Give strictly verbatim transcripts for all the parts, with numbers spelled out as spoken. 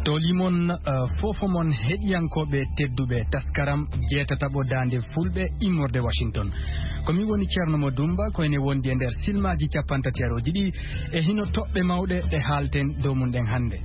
Toli mon, eh, fofo mon heɗiyankooɓe tedduɓe, taskaram jeetataɓo daande fulɓe immorde Washington. Ko mi woni Ceerno Mo Dumba, ko ene wondi e nder silmaaji capanɗe tati e ɗiɗi, e hino toɓɓe mawɗe ɗe haalten dow mum ɗen hannde.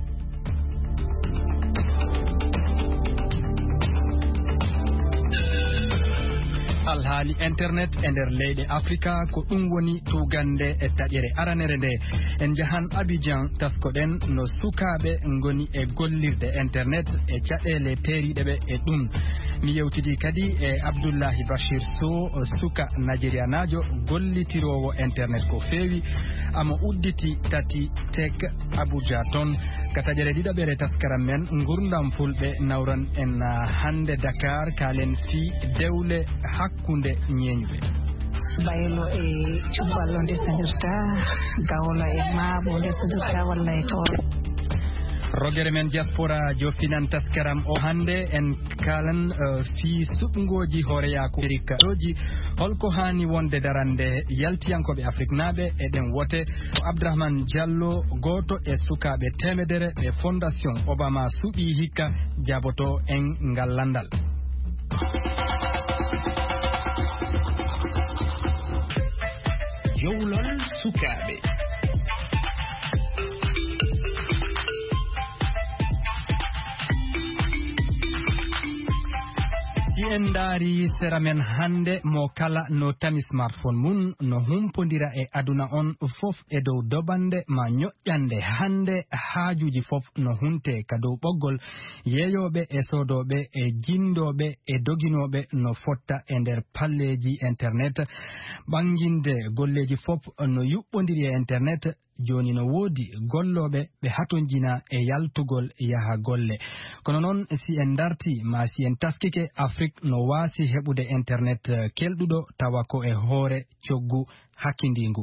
Alhaali internet e nder leyɗe Afrika, ko ɗum woni tuugannde e taƴere aranere nde. En njahan Abidjan, taskoɗen no sukaaɓe ngoni e gollirde internet e caɗeele teeriiɗe ɓe e ɗum. Mi yewtidi kadi e Abdullahi Bashir Sow, suka Nigerianaajo gollitiroowo internet ko feewi, amo udditi tati tek Abuja toon. Ka taƴere ɗiɗaɓere taskaram men Ngurndam Fulɓe, nawran en, ah, hannde Dakar, kaalen fii dewle hakkunde ñeeñuɓe. Baylo e Cubballo ndesodirta, Gawlo e Maabo ndesodirta walla e Tooro. Rogere men diaspora joftinan taskaram o hannde, en kaalan, eh, fii suɓngooji hooreyaaku Amerikaaji. Holko haani wonde darande yaltiyankooɓe Afriknaaɓe e ɗen wote? Ko Abdourahmane Diallo, gooto e sukaaɓe teemedere ɓe Fondation Obama suɓii hikka, jaaboto en ngal lanndal. Jowlol sukaaɓe. Si en ndaari sera men hannde, mo kala no tami smartphone mum, no humpondira e aduna on fof e dow dobannde ma ñoƴƴannde. Hannde haajuuji fof no hunte ka dow ɓoggol, yeeyooɓe e soodooɓe e jinndooɓe e doginooɓe no fotta e nder palleeji internet. Ɓannginde golleeji fof no yuɓɓondiri e internet. Jooni no woodi gollooɓe ɓe hatonjina e yaltugol yaha golle. Kono noon, si en ndarti, maa si en taskike, Afrik no waasi heɓude internet, eh, kelɗuɗo, tawa ko e hoore coggu hakkindiingu.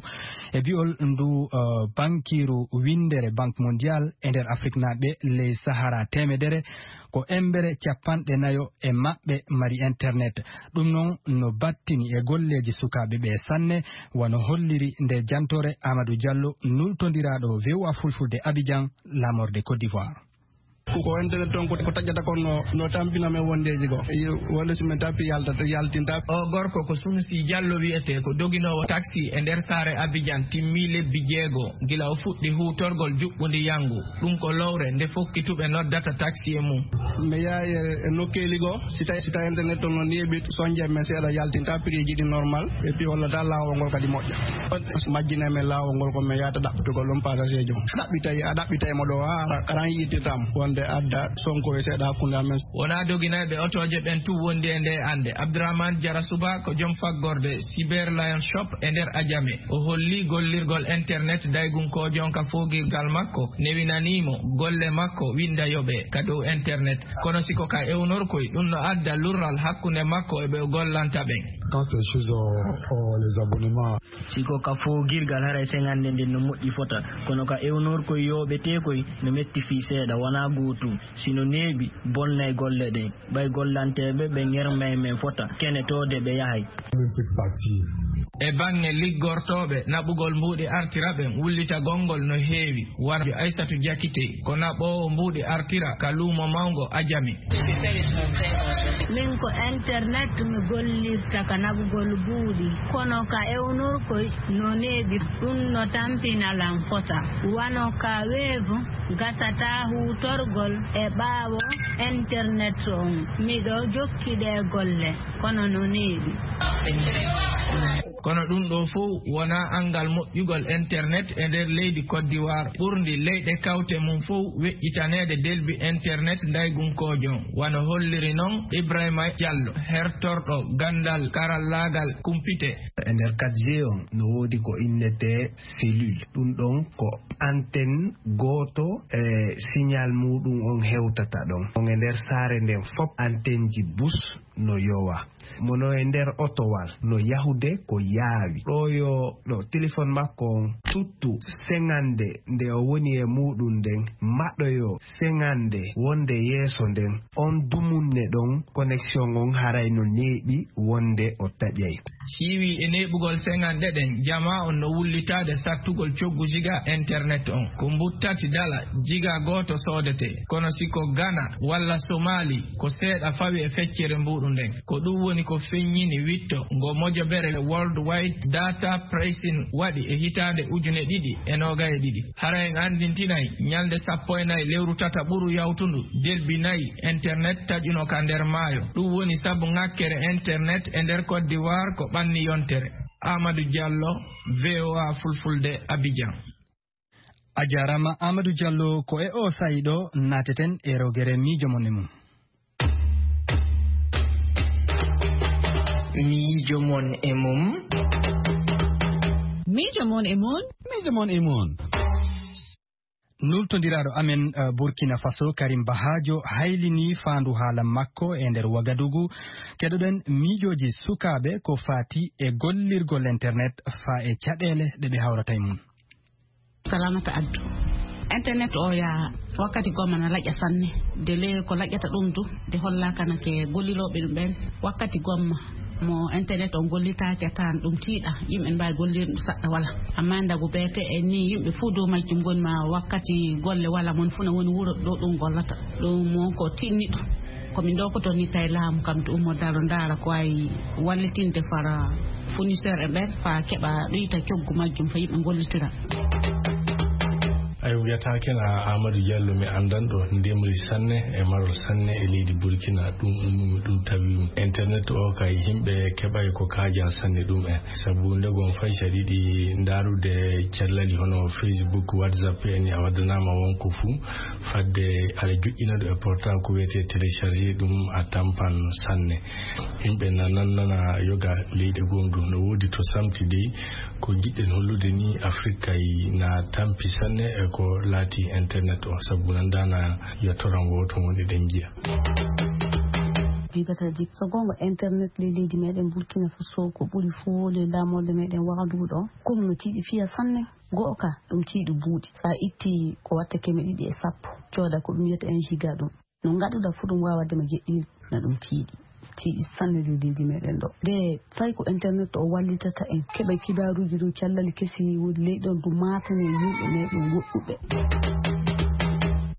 E bi'ol ndu, eh, bankiiru winndere Banque Mondiale, e nder Afriknaaɓe ley Sahara teemedere, ko embere capanɗe nayo e maɓɓe mari internet. Ɗum noon no battini e golleeji sukaaɓe ɓe sanne, wano holliri nde jantoore Amadou Diallo, nultondiraaɗo V O A Fulfulde Abidjan, laamorde Côte d'Ivoire. Ko, ko internet toon ko, ko taƴata kon no, no tampina men wondeeji goo. Iyo, wonde si men tappi yaltata, yaltinta. O gorko ko Sunusi Diallo wiyetee, ko doginoowo taxi e nder saare Abidjan, timmii lebbi jeego gila o fuɗɗi huutorgol juɓɓundi yanngu. Ɗum ko lowre nde fokkituɓe noddata taxi e mum. Mi yahay e, e nokkeeli goo, si tawi, si tawi internet toon no neeɓi, sonje men seeɗa, yaltinta prix ji ɗi normal, et puis hollata laawol ngol kadi moƴƴa. Majjina men laawol ngol ko men yahata ɗaɓɓitugol ɗum passager jo. Ɗaɓɓitay, a ɗaɓɓitay mo ɗo, a, a, aran yittirtam wonde adda sonko e seeɗa hakkunde amen. Wonaa doginayɓe otooje ɓen tun wondi e nde annde. Abdourahmane Diarra Souba ko joom faggorde Cyber Lion Shop e nder Adjamé. O holli gollirgol internet daygunkoojo on ka foogirgal makko, newinanii mo golle makko winnda yoɓe ka dow internet. Kono si ko ka ewnorkoy, ɗum no adda lurral hakkunde makko e ɓe o gollanta ɓen. Quand c'est chez, euh, euh, les abonnements. Si ko ka foogirgal, haray seŋannde nden no moƴƴi fota. Kono ka ewnorkoy yooɓeteekoy, no metti fii seeɗa, wonaa gootum. Si no neeɓi, bonnay golle ɗen. Ɓay gollanteeɓe ɓe ŋermay men fota, kenetoode ɓe yahay. E baŋŋe liggortooɓe naɓugol mbuuɗi artira ɓen, wullitagol ngol no heewi. Wano Aysatu Jakite, ko naɓoowo mbuuɗi artira ka luumo mawngo Ajami. Min ko internet mi gollirta ka naɓugol mbuuɗi, kono ka ewnorkoy no neeɓi, ɗum no tampina lan fota. Wano ka weevu, gasataa huutorgol e ɓaawo internet on. Miɗo jokki ɗee golle, kono no neeɓi. Kono ɗum ɗoo fow wonaa anngal moƴƴugol internet e nder leydi Côte d'Ivoire, ɓurndi leyɗe kawte mum fow weƴƴitaneede delbi internet ndaygunkoojo on, wano holliri non Ibrahima Diallo, hertorɗo ganndal karallaagal kumpite. E nder quatre G on, no woodi ko innetee cellule. Ɗum ɗon ko antenne gooto e signal muuɗum on hewtata ɗon. On e nder saare nden fop, antenneji bus no yowa. Mono e nder otowal no yahude ko yaawi. Ɗo yo ɗo téléphone makko on tuttu seŋande nde o woni e muuɗum nden, maɗoyo seŋande wonde yeeso nden. On dumunne ɗon, connexion on haray no neeɓi wonde o taƴay. Siiwi e neeɓugol seŋanɗe ɗen, jamaa on no wullitaade sattugol coggu jiga internet on. Ko mbuttati dala jiga Gooto soodetee, kono si ko Gana walla Somali, ko seeɗa fawi e feccere mbuuɗu nden. Ko ɗum woni ko feññini witto ngo mojobere World Wide Data Pricing waɗi e hitaande ujune ɗiɗi e noogay e ɗiɗi. Hara en anndintinay ñalnde sappo e nayi lewru tata ɓuru yawtundu, delbi nayi internet taƴuno ka nder maayo. Ɗum woni sabu ŋakkere internet e nder Côte d'Ivoire ko ɓanni yontere. Amadou Diallo, V O A Fulfulde, Abidjan. A jaaraama, Amadou Diallo. Ko e o sa'i ɗo naateten e rogere miijo mon e mum. Miijo mon e mum. Miijo mon e mum. Miijo mon e mum. Nultondiraaɗo amen, eh, Burkina Faso, Karim Bahajo, haylinii faandu haala makko e nder Wagadugu. Keɗoɗen miijooji sukaaɓe ko faati e gollirgol internet faa e caɗeele ɗe ɓe hawrata e mum. Salamata Addu. Internet o yaa wakkati gomma na laƴƴa sanne. De le ko laƴƴata ɗum du, de hollaaka na ke gollirooɓe ɗum ɓen. Wakkati gomma mo internet on gollitaake a tawan ɗum tiiɗa, yimɓe ne mbaawi gollirde ɗum saɗɗa wala. Amma ndagu beete en ni yimɓe fof dow majjum ngoni ma wakkati golle wala mon fof na woni wuro ɗo ɗum gollata. Ɗum won ko tinniɗo. Ko min ɗo ko to ni tawi laamu kam to ummo daro ndaara ko wawi wallitinde fara fournisseur e ɓen fa keɓa ɗoyta coggu majjum fa yimɓe gollitira. Ay wiyata ken a Amadou Diallo mi andan ɗo ndemri sanne e marol sanne e leydi Burkina ɗum ummi ɗum tawi internet o kay yimɓe keɓay ko kaaja sanne ɗum en sabu ndegon fay sa ɗiɗi ndarude cellali hono Facebook, WhatsApp en a waddanama wonko fuu fadde aɗa joƴƴina ɗo e portable ko wiyete télécharger ɗum a tampan sanne. Yimɓe na nannana yoga leyɗe gomdu no woodi to samti dey ko jiɗɗen hollude ni Afrique kay na tampi sanne e ko laati internet o sabu nandana yettoran wooto woni ɗen jiya. Bibata jik so gonga internet le leydi meɗen Burkina Faso ko ɓuri fof le lamorde meɗen wagadugu ɗo. Comme no tiiɗi fiya sanne. Go'o ka ɗum tiiɗi buuɗi sa itti ko watta keme ɗiɗi e sappo cooda ko ɗum wiyata un giga ɗum. No ngaɗuɗa fof ɗum wawa dema jeɗɗi na ɗum tiiɗi tiiɗi sanne ɗum leydi meɗen ɗo nde fay ko internet o wallitata en keɓa kibaruji ɗum callali kesi woni leyɗon ɗum matane yimɓe meɗen woɗɗuɓe.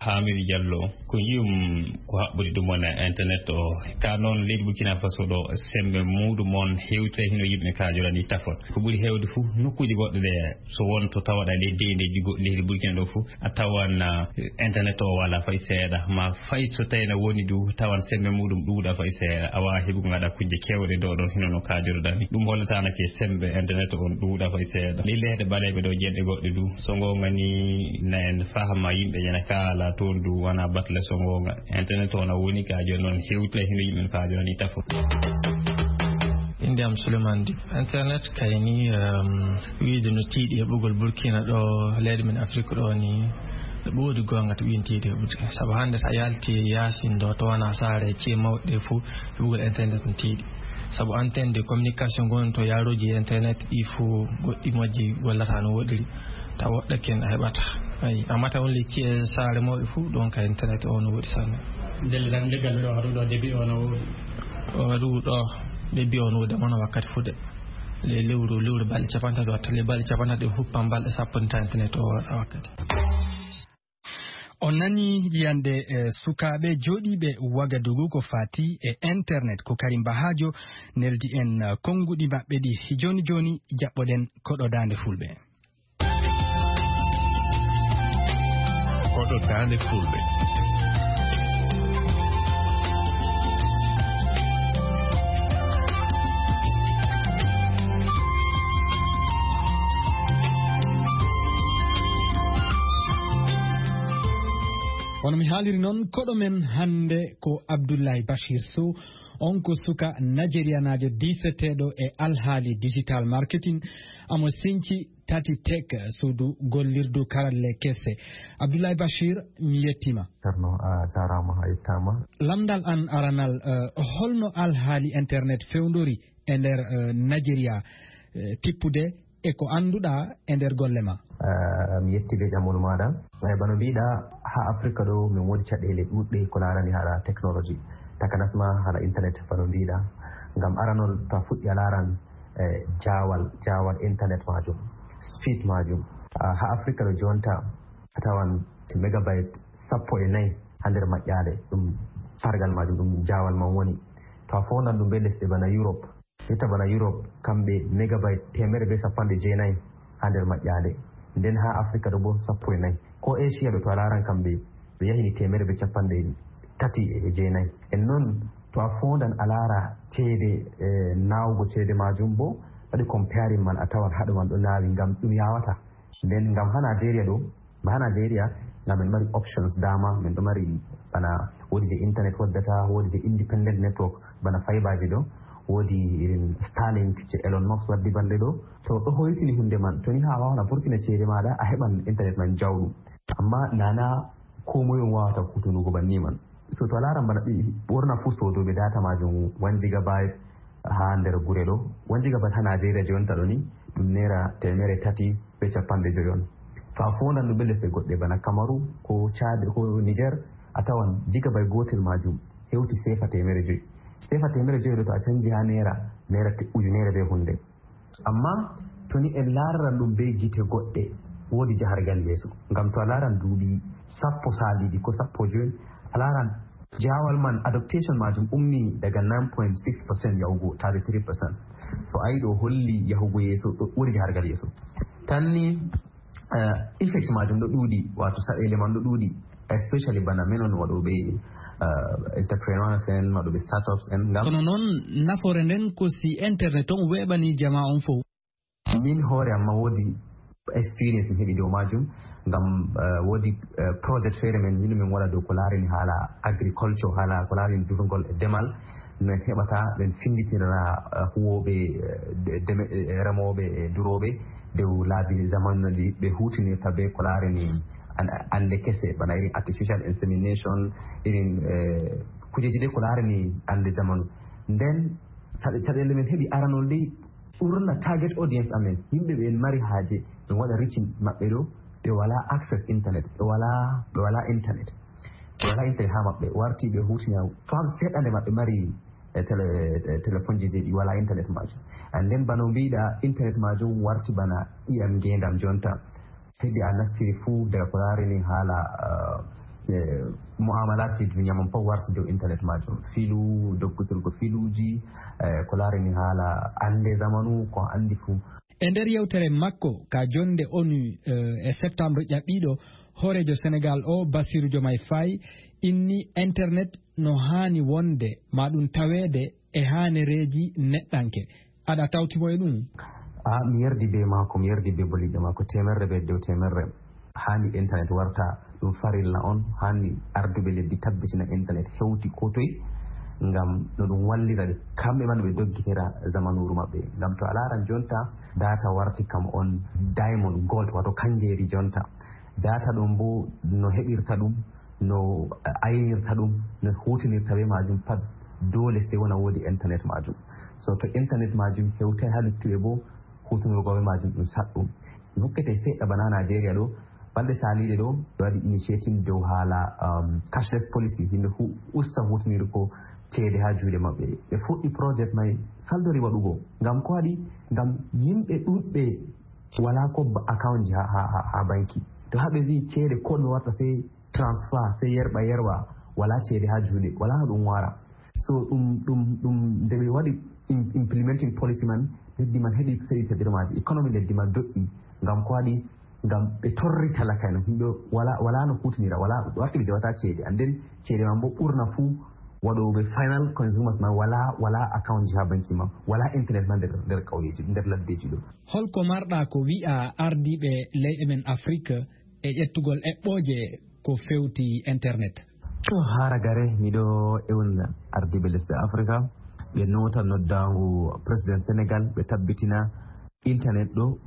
Hamidou Diallo, ko yiyum ko haɓɓude ɗum wona internet o ka noon leydi Burkina Faso ɗo sembe muɗum on hewtay hino yimɓe kajorani tafon ko ɓuri hewde fof nokkuji goɗɗo ɗe so won to tawaɗa ley deydeji goɗɗi leydi Burkina ɗo fof a tawan internet o wala fay seeɗa ma fay so tawi na woni du tawan sembe muɗum ɗuuɗa fay seeɗa a wawa heɓugo gaɗa kujje kewɗe ɗo ɗon hino no kajoroɗa ni ɗum hollitanake sembe internet on ɗuuɗa fay seeɗa ɗi leyɗe ɓaleɓe ɗo jeɗɗe goɗɗe du so gonga ni na en fahama yimɓe ƴena kala toon du wona batle so gonga internet o na woni ka joni noon hewtira hino yimɓe no kajorani tafo. Inde am Souleymane Di. Internet kayni um, wiide no tiiɗi heɓugol Burkina ɗo leyɗe men Afrique ɗo ni ɓoodi gonga to ɓiyen tiiɗi heɓude sabu hannde so a yalti yaasin ɗo to wona saare e ciye mawɗe ɗe fof heɓugol internet no tiiɗi sabu antenne de communication gon to yaruji internet ɗi fof goɗɗi majji gollata no woɗiri taw woɗɗake en a heɓata. Ayi a mata won lecci e saare mawɓe fof ɗon ka internet o no woɗi sanne. Ndelle tan leggal ɗo haɗu ɗo débit o no woɗi o haɗu ɗo débit o no woɗi amana wakkati fuɗe le lewru lewru balɗe capantato watta le balɗe capantato e huppan balɗe sappo nta internet o waɗa wakkati. On nani yiyande e sukaaɓe jooɗiiɓe Wagadugu ko faati e internet ko Karim Bahajo neldi en konnguɗi maɓɓe ɗi jooni jooni jaɓɓoɗen koɗo daande fulɓe. Koɗo daande fulɓe. Hono mi haaliri noon koɗo men hannde ko Abdoulaye Bachir Sow. On ko suka najeriyanaajo diiseteeɗo e alhaali digital marketing amo sinci tati tek suudu gollirdu karalle kese. Abdoulaye Bachir, mi yettima. Cerno a jarama a yettama. Lamdal an aranal, eh, holno alhaali internet fewndori e nder, eh, Nigeria, eh, tippude e ko annduɗa e nder golle ma? Eh, mi yetti be ƴamol maɗa. Eh, bano mbiɗa ha Afrika ɗo min wodi caɗele ɗuɗɗe ko larani hala technologie, takanasma hala internet bano mbiɗa. Ngam aranol to a fuɗɗi a laran, eh, jawal, jawal internet majum, speed majum. Ah, ha Afrika ɗo jonta a tawan megabyte sappo e nayi haa nder maƴƴaale. Ɗum sargal majum, ɗum jaawal man woni. To a foondan ɗum bee lesɗe bana Europe, ita bana Europe, kamɓe megabayt teemeɗɗe bee capanɗe jeenayi haa nder maƴƴaale. Nden haa Afrika ɗo boo sappo e nayi. Ko Asia ɗo, to a laaran, kamɓe ɓe yahini teemeɗɗe bee capanɗe tati e jeenayi. En non, to a foondan a laara ceede, eh, naawugo ceede majum boo, waɗi comparing man, a tawan haɗo man ɗo naawi, ngam ɗum yawata. Nden ngam haa Nigeria ɗo, ba haa Nigeria, ngam en mari options, dama men ɗo mari bana, woodi je internet waddata, woodi je independent network, bana fiberji ɗo, woodi irin Starlink je Elon Musk waddi balɗe ɗo. To ɗo hoytini hunde man, to ni haa a waawan a vurtina ceede maaɗa, a heɓan internet man jawɗum. Amma nana ko moy on waawata hutunugo banni man. So to a laaran bana ɓe ɓurna fuu soodooɓe data majum one gigabyte haa nder gure ɗo. One gigabyte haa Nigeria jonta ɗo ni, ɗum naira teemeɗɗe tati bee capanɗe jowi on. To a foondan ɗum bee lesɗe goɗɗe bana Kamaru, ko Chad, ko Niger, a tawan gigabyte gootel majum hewti sefa teemeɗɗe jowi. Sefa teemeɗɗe jowi ɗo, to a canji haa naira, naira te-, ujunere bee hunde. Amma to ni en laararan ɗum bee gite goɗɗe, woodi jahargal yeeso. Ngam to a laaran duuɓi sappo saaliiɗi ko sappo jowi, a laaran jaawal man, adaptation majum ummi daga nine point six percent yahugo thirty-three percent. To a yi ɗo holli yahugo yeeso, ɗo woodi jahargal yeeso. Tan ni, eh, effect majum ɗo ɗuuɗi, wato saɗeele man ɗo ɗuuɗi, especially bana men on waɗooɓe, eh, entrepreneurs en, waɗooɓe startups en. Ngam kono noon, nafoore nden ko si internet on weeɓani jamaa on fof. Min hoore am ma woodi experience mi heɓi dow majum, ngam, eh, woodi, eh, project feere men, min min waɗa dow ko laarani haala agriculture, haala ko laarani durngol e demal. No en heɓata ɓen finditira, eh, huwooɓe, eh, de-, deme-, eh, remooɓe e durooɓe dow laabi zamanu no ɗi ɓe huutinirta be ko laarani an-, annde kese, bana irin artificial insemination, irin, eh, kujeeji ɗe ko laarani annde zamanu. Nden saɗe-, caɗeele men heɓi aranol ɗi, ɓurna target audience amen, yimɓe ɓe en mari haaje, en waɗa reaching maɓɓe ɗo, ɓe walaa access internet, ɓe walaa, ɓe walaa internet. Ɓe walaa internet haa maɓɓe, warti ɓe huutina fam seeɗa nde maɓɓe mari, eh, tele-, eh, telefonji je ɗi walaa internet majum. And then bano mbiɗa, internet majum warti bana ƴiyam ngeendam jonta. Heddi a nastiri fuu daga ko laarani haala, eh, eh, mu'amalaatji duniya mon fof warti dow internet majum. Filu, doggotirgo filuuji, eh, ko laarani haala annde zamanu, ko anndi fuu. E nder yewtere makko ka jonnde onu, eh, e septembre ƴaɓɓiiɗo, hooreejo Senegal o, Bassirou Diomaye Faye, inni internet no haani wonde ma ɗum taweede e haanereeji neɗɗanke. Aɗa tawti mo e ɗum? A, mi yerdi be maako, mi yerdi be boliɗɗo maako, teemerre be dow teemerre. Haani internet warta ɗum farilla on, haani arduɓe leddi tabbitina internet hewti ko toy, ngam no ɗum wallira ɓe, kamɓe man ɓe doggitira zamanuuru maɓɓe. Ngam to a laaran jonta, data warti kam on diamond, gold, wato kangeeri jonta. Data ɗum bo no heɓirta ɗum, no aynirta ɗum, no huutinirta be majum pat, dole sey wona woodi internet majum. So to internet majum hewtay haa luttuɓe bo, huutinirgo be majum ɗum saɗɗum. Mi hokkete seeɗa bana Nigeria ɗo, balɗe saliiɗe ɗo, ɓe waɗi initiating dow haala, um, cashless policy, yimɓe hu-, usta huutinirgo ceede haa juuɗe maɓɓe. Ɓe fuɗɗi project may, saldori waɗugo. Ngam ko waɗi? Ngam yimɓe ɗuɗɓe walaa ko ba-, account ji haa, haa, haa, haa banki. To haa ɓe vi'i ceede ko ɗume watta sey transfer, sey yerɓa yerɓa, walaa ceede haa juuɗe, walaa no ɗum wara. So ɗum, ɗum, ɗum nde ɓe waɗi im-, implementing policy man, leddi man heɓi seɗi seɗirmaaji, economy leddi man doƴƴi. Ngam ko waɗi? Ngam ɓe torri talaka en, yimɓe walaa, walaa no huutinira, walaa, warti ɓe jowataa ceede. And then ceede man bo ɓurna fuu waɗooɓe final consumers man walaa, walaa account ji haa banki man, walaa internet man nder, nder ƙauyeji, nder laddeji ɗo. Holko marɗa ko wi'a ardiiɓe leyɗe men Afrique e ƴettugol eɓɓooje ko fewti internet? To haa ragare, miɗo ewna ardiiɓe lesɗe Afrika, ɓe noota noddaango President Senegal, ɓe tabbitina internet ɗo,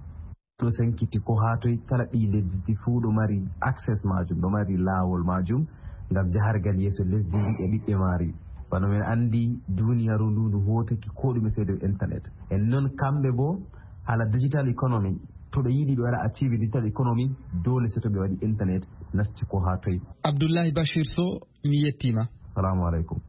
ɗo sankiti ko haa toy, kala ɓii lesdi fuu ɗo mari access majum, ɗo mari laawol majum ngam jahargal yeeso lesdi ndi e ɓiɓɓe maari. Bano men anndi, duniyaaru ndu ndu hootake ko ɗume sey dow internet. En non kamɓe bo, haala digital economy, to ɓe yiɗi ɓe waɗa achieve digital economy, dole sey to ɓe waɗi internet nasti ko haa toy. Abdullahi Bashir Sow, mi yettiima. Salamu aleykum.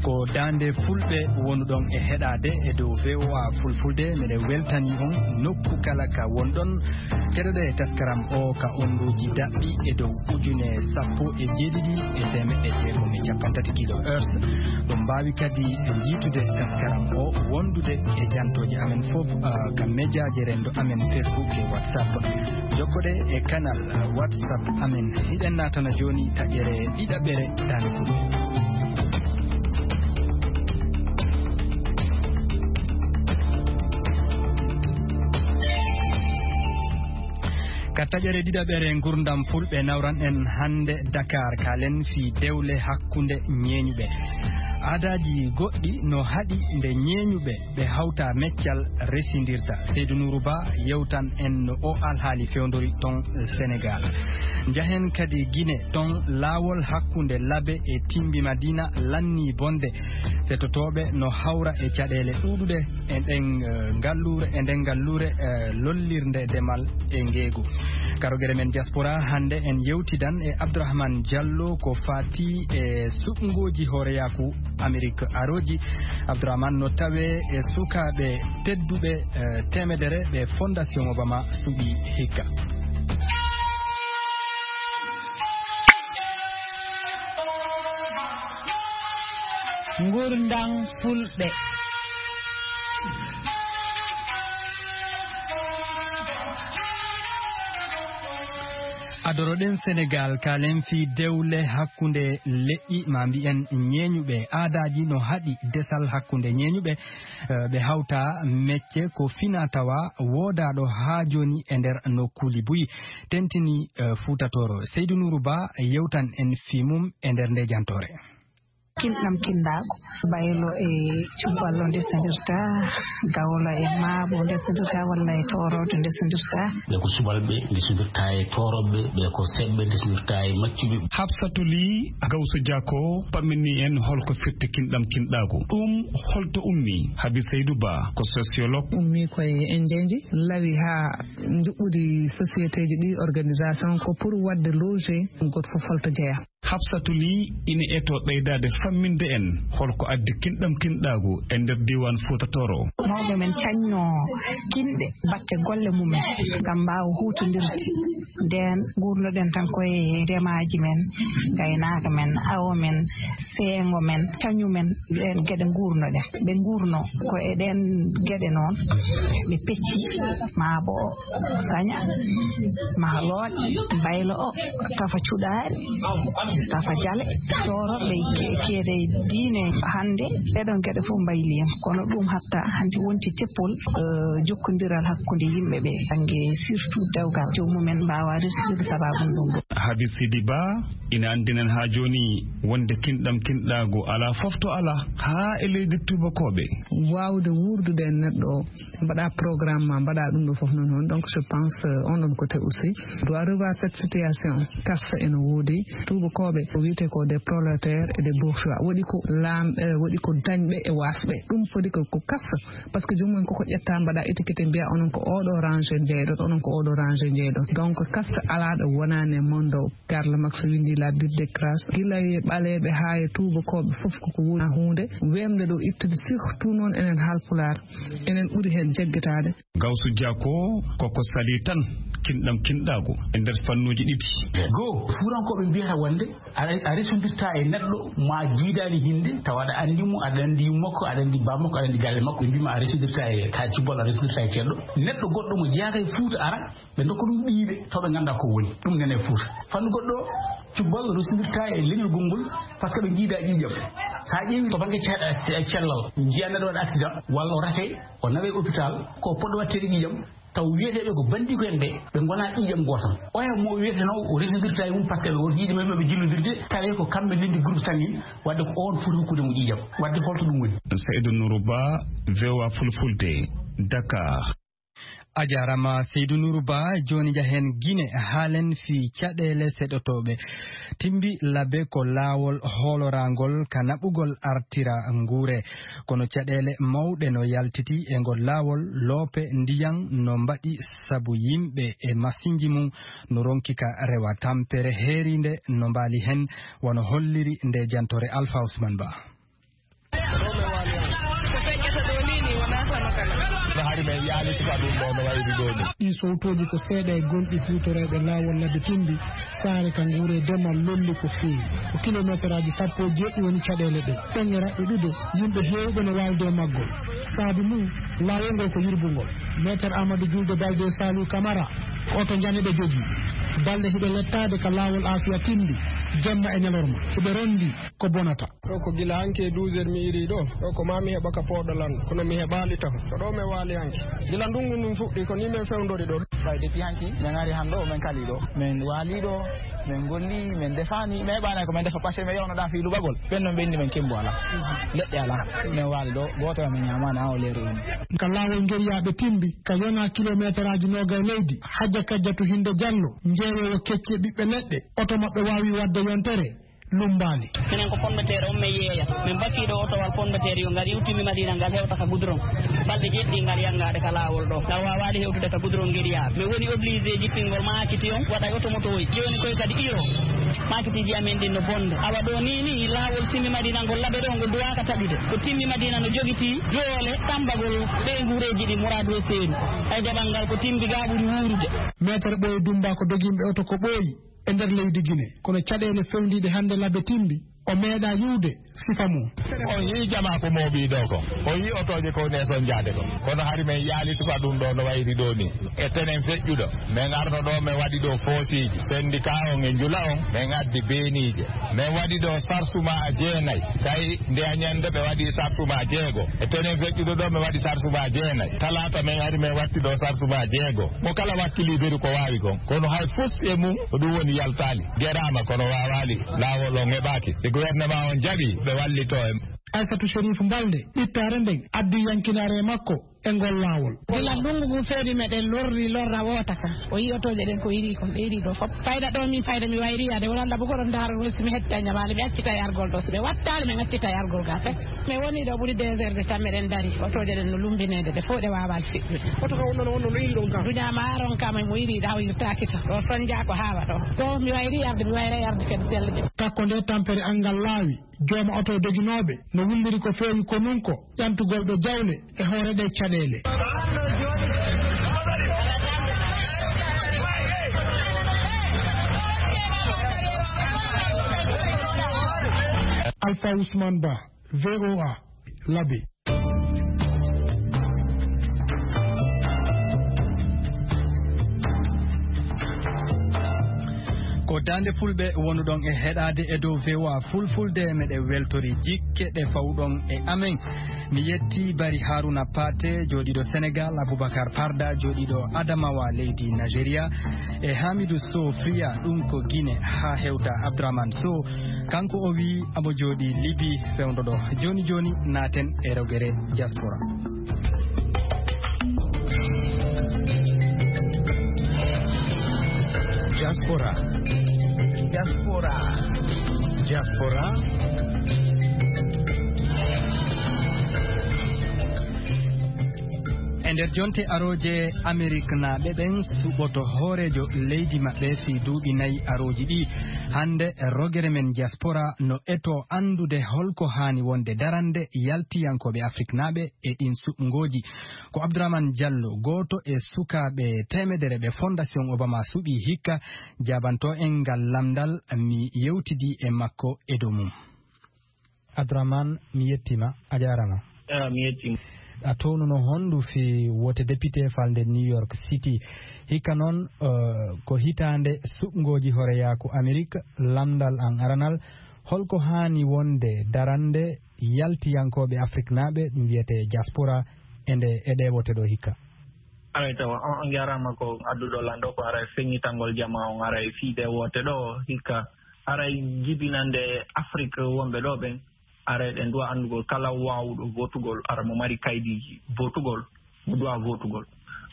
Ko Daande fulɓe wonuɗon e heɗaade e dow V O A Fulfulde, meɗen weltani on nokku kala ka wonɗon. Keɗoɗe e taskaram o ka onduuji daɓɓi e dow ujune sappo e jeeɗiɗi e teemeɗɗe jeegom e capanɗe tati kilohertz. Ɗum mbaawi kadi njiitude taskaram o wondude e jantooje amen fof, ah, ka mejaaje renndo amen Facebook e WhatsApp. Jokkoɗe e kanal WhatsApp amen. Hiɗen naatana jooni taƴere ɗiɗaɓere daande fulɓe. Ka taƴere ɗiɗaɓere ngurdam fulɓe nawran en hannde Dakar, kaalen fii dewle hakkunde ñeeñuɓe. Aadaaji goɗɗi no haɗi nde ñeeñuɓe ɓe hawta meccal resindirta. Seydou Nourou Ba yewtan en no o alhaali fewndori ton Sénégal. Njahen kadi Gine, ton laawol hakkunde Labe e Timbi Madina lanni bonde. Setotooɓe no hawra e caɗeele ɗuuɗuɗe e ɗen, eh, ngalluure, e nden ngalluure, eh, lollirnde demal e ngeegu. Karogere men diaspora hannde en yewtidan e Abdourahmane Diallo ko fati e suɓngooji hooreyaaku Amerik arooji. Abdourahmane no tawe e sukaaɓe tedduɓe, eh, teemedere ɓe Fondation Obama suɓi hikka. Ngurndam fulɓe. Adoroɗen Sénégal, kaalen fii dewle hakkunde leƴƴi, ma mbiyen ñeeñuɓe. Aadaaji no haɗi desal hakkunde ñeeñuɓe, eh, ɓe hawta mecce ko fina tawa woodaaɗo haa jooni e nder nokkuuli buy. Tentini, eh, Fuuta Tooro. Seydou Nourou Ba yewtan en fii mum e nder nde jantoore. Kinɗam kinɗaagu, baylo e cuballo ndesindirta, gawla e maabo ndesindirta, walla e tooroodo ndesindirta. Ɓe ko subalɓe ndesindirta e toorooɓe, ɓe ko seɓɓe ndesindirta e maccuɓe. Hafsatu Ly Gawsu Jako pammini en holko firti kinɗam kinɗaagu. Ɗum holto ummi? Habi Seydou Ba ko sociologue. Ummi koye enjeeji, lawi haa njuɓɓudi sociétéji ɗi, organisation, ko pour waɗde loger, goto fof holto jeyaa. Hafsatu Ly ina eto ɓeydaade famminde en holko addi kinɗam kinɗaagu e nder diiwaan Fuuta Tooro. Mawɓe men cañno kinɗe batte golle mumen ngam mbaawa huutondirde. Ndeen nguurnoɗen tan koye ndemaaji men, ngaynaaka men, awo men, seengo men, cañu men, ɗeen geɗe nguurnoɗen. Ɓe nguurno ko e ɗeen geɗe noon, ɓe pecci, maa bo saña, maa looƴ, baylo o, tafa cuɗaari, tafa jale, tooro ɓe ke-, keede diine hannde, ɗeɗon geɗe fof mbayliima. Kono ɗum hatta hannde wonti teppol, eh, jokkondiral hakkunde yimɓe ɓe, bannge surtout dewgal, joomum en mbaawa resirde sabaabu ɗum ɗo. Habi Sidi Ba ina anndinen haa jooni wonde kinɗam kinɗaagu alaa fof to alaa, haa e leydi tuubakooɓe. Waawde wuurdude e neɗɗo o, mbaɗa programme ma, mbaɗa ɗum ɗo fof noon. Hono donc, je pense, euh, on ɗon côté aussi doit revoir cette situation. Kasta ene woodi tuubakooɓe, ko wiyetee ko des prolétaires et des bourgeois. Waɗi ko laam-, eh, waɗi ko dañɓe e waasɓe. Ɗum foti ko, ko kasta, parce que joomum en koko ƴetta, mbaɗa étiquette, mbiya onon ko oɗo rangée njeyɗon, onon ko oɗo rangée njeyɗon. Donc, kasta alaa ɗo wonaani e mondo. Karl Marx winndi La Bulle des Classes. Gila e ɓaleeɓe haa e tuubakooɓe fof koko woni huunde weemde ɗo ittude, surtout noon enen Haalpulaar, enen ɓuri heen jaggitaade. Gawsu Jako koko salii tan kinɗam kinɗaagu e nder fannuuji ɗiɗi. Goo, Fuutankooɓe mbiyata wonde a, a resondirta e neɗɗo ma jiidaani hinnde, tawa aɗa anndi mo, aɗa anndi yumma makko, aɗa anndi baaba makko, aɗa anndi galle makko. Ɓe mbii ma a resondirta e Taal Cubbal, a resondirta e ceerɗo. Neɗɗo goɗɗo mo jeyaaka e Fuuta ara, ɓe ndokka ɗum ɓiyiiɓe, taw ɓe nganndaa ko woni. Ɗum nene e Fuuta. Fannu goɗɗo, cubbal resondirta e leñol gonngol, par ce que ɓe njiida ƴiiƴam. So a ƴeewi to bannge ce-, ce-, cellal, njiya neɗɗo waɗa accident, walla o rate, o nawe hôpital, ko poɗɗo waɗteede ƴiiƴam, taw wiyeteeɓe ko banndiiko en ɓe, ɓe ngonaa ƴiiƴam gooto. Oya mo wiyetenoo o resondirta e mum, par ce que ɓe woto yiide men ɓe jillodirde, tawi ko kamɓe ndenndi groupe sanguin, wadde ko oon foti hokkude mo ƴiiƴam. Wadde holto ɗum woni? Seydou Nourou Ba, V O A Fulfulde, Dakar. A jaaraama Seydou Nourou Ba. Jooni njahen Gine, haalen fii caɗeele seɗotooɓe. Timbi Labe ko laawol hooloraangol ka naɓugol artira nguure. Kono caɗeele mawɗe no yaltiti e ngol laawol, loope ndiyan no mbaɗi sabu yimɓe e masinji mum no ronki ka rewa. Tampere heeriinde no mbaali hen, wano holliri nde jantoore Alpha Ousmane Ba. Ko feƴƴata ɗo ni, ni wonaa hono kala. No hari men yaaliti ka ɗum ɗo no wayri ɗo ni. Ɗii sowtooji ko seeɗa e gonɗi huutoreeɓe laawol Labe Timbi, saare ka nguure demal lolli ko feewi. Ko kilomeeteraaji sappo e jeeɗiɗi woni caɗeele ɗe. Ɗon e raɓɓe ɗuɗe, yimɓe heewɓe no waalde e maggol. Saabi mum, laawol ngol ko yirbungol. Meeter Amadou Julde Balde Saliou Camara, ko oto njaniɗo jogii. Balɗe hiɓe lettaade ka laawol Afia Timbi, jemma e ñalorma. Hiɓe ronndi ko bonata. Ɗo ko gila hanki e douze heures mi irii ɗo. Ɗo ko maa mi heɓa ka pooɗo lan, kono mi heɓaali taho. Ko ɗo mi waali hanki. Gila ndungu ndun fuɗɗi, ko ni men fewndori ɗo. Ɓay depuis hanki, men ari han ɗo, men kali ɗo. Men waali ɗo, men golli, men defaani, men heɓaani ko men defa, parce que men yewno ɗa fii luɓagol. Ɓen non ɓenni men kembo ala. Leɗɗe ala. Men waali ɗo, gooto men ñaamaani, an o leeru ɗum. Ka laawol ngeriyaaɓe Timbi, ka yona kilomeeteraaji noogay leydi, Hajja Kajjatu Hinde Jallo, njeewowo kecce ɓiɓɓe leɗɗe, oto maɓɓe waawi waɗde yontere. Lummbaali. Minen ko pomme de terre on min yeeya. Min bakii ɗo otowal pomme de terre yo ngal iwti mi Madina ngal hewta ka goudron. Balɗe jeɗɗi ngal yanngaade ka laawol ɗo. Ngal waawaali hewtude ka goudron ngiriyaaɓe. Min woni obligé jippingol maakiti on waɗa e oto moto oy. Jooni koy kadi iro. Maakitiiji amin ɗin no bonde. Awa ɗo ni ni laawol timmi Madina ngol laɓe ɗo ngol duwaaka taƴude. Ko timmi Madina no jogiti doole tambagol ɓee nguureeji ɗi muraadu e seeni. Ay jaɓal ngal ko timbi gaa ɓuri wuurude. Meetere Ɓooyi Dummba ko doginɓe oto ko ɓooyi. E nder leydi Gine. Kono caɗeele fewndiiɗe hannde Labe Timbi, o meeɗaa yiwde sifa mum. On yii jamaa ko mooɓii ɗo kon. On yii otooje ko neeson jaade kon. Kono hari men yaali suka ɗum ɗo no wayri ɗo ni. E tenen feƴƴuɗo. Men arno ɗo men waɗi ɗo foosiiji. Sendika on e njula on, men addi beeniije. Men waɗi ɗo sarsuma a jeenay. Tawi nde a ñande ɓe waɗi sarsuma a jeego. E tenen feƴƴuɗo ɗo men waɗi sarsuma a jeenay. Talaata men ari men watti ɗo sarsuma a jeego. Mo kala wakkili beru ko waawi kon. Kono hay fus e mum ko ɗum woni yaltaali. Geraama kono waawaali. Laawol on heɓaaki. Si gouvernement on jaɓi, ɓe wallito en. Aysatu Sherif Balde, ɓittaare nden, addi yankinaare e makko e ngol laawol. Gila ndungu ngu feewi meɗen lorri lorra woota ka. O yii otooje ɗen ko irii kon, ɗe irii ɗo fop. Fayda ɗo min fayda mi wayri yaade, wala Allah bugo ɗon ndaaro woni si mi hetta ñamaali, mi accita e argol ɗo. Si ɓe wattaali, min accita e argol ga fes. Mi woni ɗo ɓuri deux heures de temps meɗen dari. Otooje ɗen no lumbineede, ɗe fof ɗe waawaali feƴƴude. Oto ka wonno no wonno no iri ɗon ka. Duña maaron ka mo iri ɗa o irtaaki to. Ɗo sonja ko haawa ɗo. Ɗo mi wayri yarde, mi wayra yarde kadi selle. Takko nde tampere angal laawi, jooma oto doginooɓe no wulliri ko feewi ko nun ko ƴantugol ɗo jawle e hoore ɗe caɗeele. Alpha Ousmane Ba, V O A, Labe. Ko Daande Fulɓe wonuɗon e heɗaade e dow V O A Fulfulde, meɗe weltori jikke ɗe fawɗon e amen. Mi yetti Bari Haruna Pate, jooɗiiɗo Senegal, Abubakar Parda, jooɗiiɗo Adamawa, leydi Nigeria, e Hamidu Sow Friya, ɗum ko Gine haa hewta Abdourahmane Sow. Kanko o wiyi amo jooɗii Libi fewndo ɗo. Jooni jooni naaten e rogere diaspora. Diaspora. Diaspora. Diaspora. E nder jonte arooje, Ameriknaaɓe ɓen suɓoto hooreejo leydi maɓɓe fii duuɓi nayi arooji ɗi. Hannde, rogere men diaspora no eto anndude holko haani wonde darannde yaltiyankooɓe Afriknaaɓe e ɗin suɓngooji. Ko Abdourahmane Diallo, gooto e sukaaɓe teemedere ɓe Fondation Obama suɓii hikka, jaabanto en ngal lamndal, mi yewtidi e makko e dow mum. Abdourahmane, mi yettiima, a jaaraama. Ah, mi yettiima. A townuno honndu fii wote député falnde New York City. Hikka noon, eh, ko hitaande suɓngooji hooreyaaku Amerik, lamndal an aranal, holko haani wonde darannde yaltiyankooɓe Afriknaaɓe, ɗum wiyetee diaspora, e nde, e ɗee wote ɗo hikka? Aray tawa, on, on njaaraama ko adduɗo lan ɗo, ko aray feññitangol jamaa on, aray fii ɗee wote ɗo hikka, aray jibinande Afrik wonɓe ɗo ɓen, aray ɗen duwa anndugol kala waawuɗo votugol, ara mo mari kaydiiji votugol, mo duwa votugol.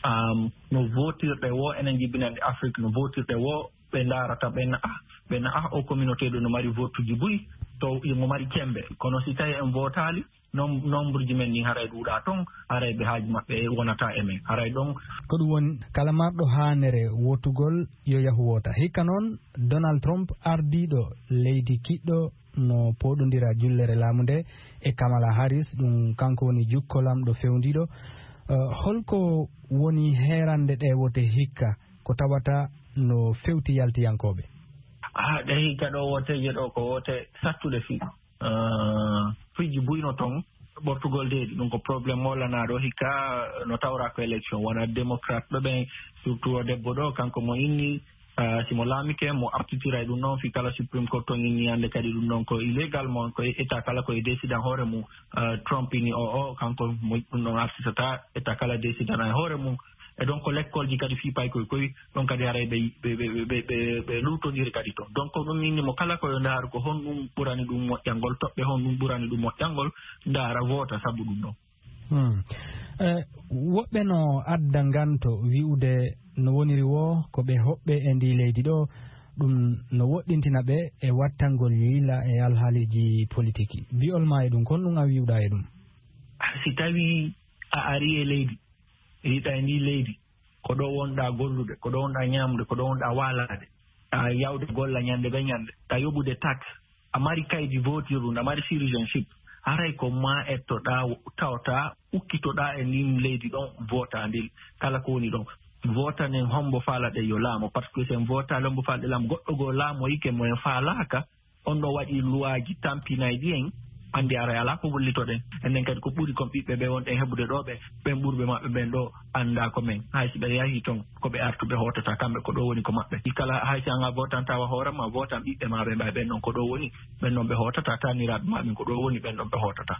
Am, no votirɗe wo, enen jibinande Afrik, no votirɗe wo, ɓe ndaarata, ɓe na'a, ɓe na'a o communauté ɗo no mari votuji buy, to mo mari cembe. Kono si tawi en votaali, nom-, nombre ji men ɗin haray ɗuuɗa ton, haray ɓe haaju maɓɓe wonata e men, haray ɗon. Ko ɗum woni, kala marɗo haanere wotugol, yo yahu wota. Hikka noon, Donald Trump, ardiiɗo leydi kiɗɗo no pooɗondira jullere laamu nde e Kamala Harris, ɗum kanko woni jukkolamɗo fewndiiɗo. Eh, holko woni heerande ɗe wote hikka, ko tawata no fewti yaltiyankooɓe? Ah, ɗe hikka ɗo woteeje ɗo ko wote sattuɗe fii. Eh, fiji buyno toon, ɓortugol deedi, ɗum ko problème mo lanaaɗo hikka, no tawra ko élection, wona démocrate ɓe ɓen, surtout o debbo ɗo, kanko mo inni, eh, si mo laamike, mo artitira e ɗum noon, fii kala Supreme Court toon inni hannde kadi ɗum noon ko illégal, mo ko état kala ko e décidan hoore mum, eh, Trump ini o, o, kanko mo ɗum noon artitata, état kala décidana e hoore mum. E donc ko lekkolji kadi fii paykoy koy, ɗon kadi haray ɓe, ɓe, ɓe, ɓe, ɓe, ɓe luutondiri kadi toon. Donc ko ɗum inni mo kala ko yo ndaaru ko honɗum ɓurani ɗum moƴƴangol, toɓɓe honɗum ɓurani ɗum moƴƴangol, ndaara voota sabu ɗum ɗon. Hmm. Eh, woɓɓe no adda nganto wi'ude no woniri wo ko ɓe hoɓɓe e ndi leydi ɗo, ɗum no woɗɗintina ɓe e wattangol yiila e alhaaliji politiki. Bi'ol ma e ɗum, kon ɗum a wi'uɗa e ɗum? Ah, si tawi a ari e leydi, yiɗa e ndi leydi, ko ɗo wonɗa gollude, ko ɗo wonɗa ñaamude, ko ɗo wonɗa waalaade, a yawde golla ñande be ñande, a yoɓude taxe, a mari kaydi votirɗum, a mari citizenship, haray ko ma ettoɗa, tawta, ukkitoɗa e ndin leydi ɗon, vota ndin, kala ko woni ɗon. Votanen hombo faalaɗe yo laamo, parce que si en votaali hombo faalaɗe laamo, goɗɗo goo laamoyike mo en faalaaka, on ɗo waɗi luwaaji tampinayɗi en, anndi aray alaa ko gollitoɗen. Enen kadi ko ɓuri kon ɓiɓɓe ɓe wonɗen heɓude ɗo ɓe, ɓen ɓurɓe maɓɓe ɓen ɗo anndaa ko men. Hay si ɓe yahii ton, ko ɓe artuɓe hootata, kamɓe ko ɗo woni ko maɓɓe. Ɗi kala hay si an a votantaa wa hoore ma, votan ɓiɓɓe ma ɓe mbay ɓen ɗon ko ɗo woni, ɓen ɗon ɓe hootata, taaniraaɓe ma ɓen ko ɗo woni, ɓen ɗon ɓe hootata.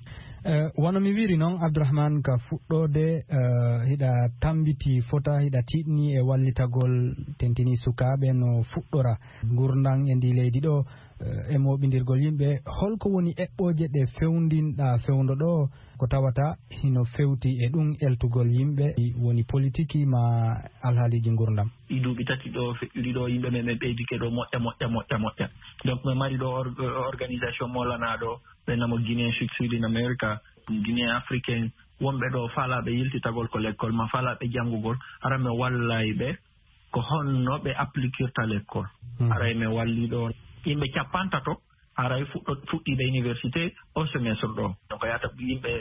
Eh, wano mi wiri noon, Abdourahmane, ka fuɗɗoode, eh, hiɗa tambiti fota, hiɗa tiiɗni e wallitagol tentini sukaaɓe no fuɗɗora ngurndan e ndi leydi ɗo, eh, e mooɓindirgol yimɓe. Holko woni eɓɓooje ɗe fewndinɗa fewndo ɗo ko tawata hino fewti e ɗum eltugol yimɓe, woni politiki ma alhaaliji ngurdam? Ɗi duuɓi tati ɗo feƴƴuɗi ɗo, yimɓe men ɓe ɓeydike ɗo moƴƴa, moƴƴa, moƴƴa, moƴƴa. Donc, min mari ɗo or-, organisation mo lanaa ɗo, ɓe namo Guinéen Sud Sud in America, Guinéen Africain, wonɓe ɗo faalaaɓe yiltitagol ko lekkol ma faalaaɓe janngugol, hara mi wallay ɓe ko honno ɓe applikirta lekkol. Hmm. Haray mi walli ɗo yimɓe capantato, haray fuɗɗo-, fuɗɗiiɓe université o semestre ɗo. Donc, yaata yimɓe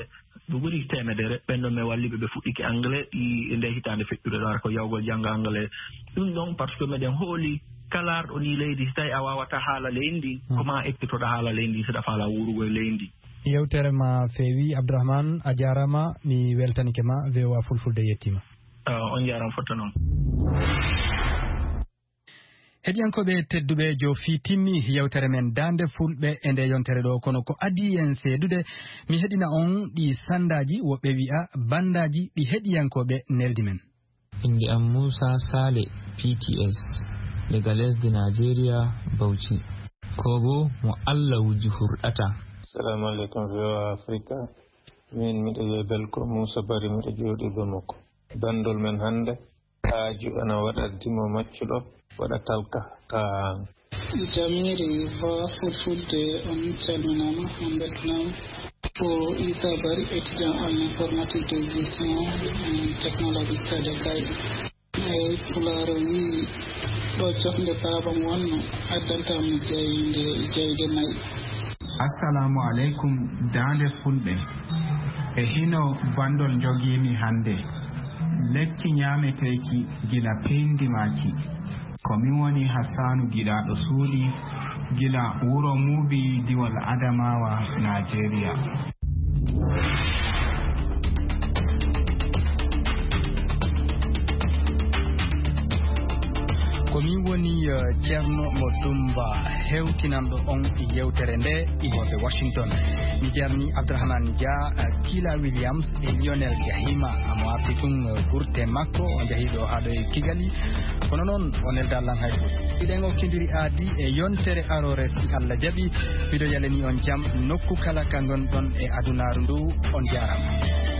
ɓe ɓuri teemedere, ɓen ɗon mi walli ɓe, ɓe fuɗɗike anglais, ɗi, nde hitaande feƴƴude ɗo, hara ko yawgol jannga anglais. Ɗum ɗon, parce que meɗen hooli kala arɗo ndi leydi, si tawi a waawata haala leydi ndi, hmm, ko ma ekkitoɗa haala leydi ndi, si ɗa faala wuurugol leydi ndi. Yewtere ma feewi, Abdourahmane, a jaaraama, mi weltanike ma, V O A Fulfulde yettiima. Ah, on jaaraama fotta noon. Heɗiyankooɓe tedduɓe, joofi timmi yewtere men Daande Fulɓe e nde yontere ɗo, kono ko adii en seedude, mi heɗina on ɗi sandaaji, woɓɓe wi'a bandaaji, ɗi heɗiyankooɓe neldi men. Innde am Muusa Saale, P T S, daga lesdi Najeriya, Bauchi. Ko bo mo Allah wuji hurɗata. Assalamu alaikum, V O A Africa. Min miɗo wiya Belko Muusa Bari, miɗo jooɗi Bamako. Bandol men hannde, haaju ana waɗa dimo maccuɗo, waɗa talka ka. Jamiiri V O A Fulfulde, on calminaama, on mbeltanaama. Ko Issa Bari, étudiant en informatique de gestion, euh, technologie stade kay. Eey, Pulaar o wi'i, ɗo cofnde baaba mo wonno, addanta mo jayde, jayde nayi. Assalamu alaikum, Daande Fulɓe. E hino bandol jogiimi hannde. Lekki ñaameteeki gila peyndimaaki. Ko min woni Hassanu Giɗaaɗo Suuɗi, gila wuro Muubi, diiwal Adamawa, Najeriya. Ko min woni, eh, Ceerno Mo Dumba, hewtinanɗo on yewtere nde, iwooɓe Washington. Mi jarni Abdourahmane Dia, eh, Kila Williams e Lionel Gahima. Amo arti tun, eh, gurte makko, o njahi ɗo haa ɗo e Kigali. Kono noon, o nelda lan hay fus. Hiɗen okkindiri aadi e yontere aroore, si Allah jaɓi. Miɗo yalani on jam nokku kala ka ngonɗon e adunaaru ndu. On jaaraama.